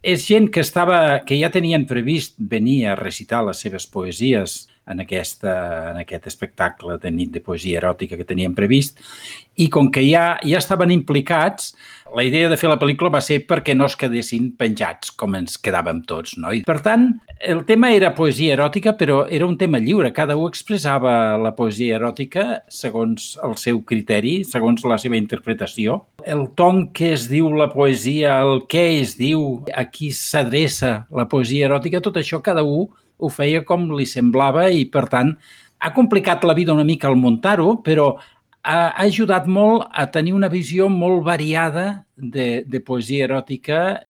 És gent que ja tenien previst venir a recitar les seves poesies en aquest espectacle de nit de poesia eròtica que tenien previst, i com que ja estaven implicats, la idea de fer la pel·lícula va ser perquè no es quedessin penjats com ens quedàvem tots, no? I, per tant, el tema era poesia eròtica, però era un tema lliure. Cada un expressava la poesia eròtica segons el seu criteri, segons la seva interpretació. El ton que es diu la poesia, el què es diu, a qui s'adreça la poesia eròtica, tot això cada un ho feia com li semblava i, per tant, ha complicat la vida una mica al muntar-ho, però ha ajudat molt a tenir una visió molt variada de poesia eròtica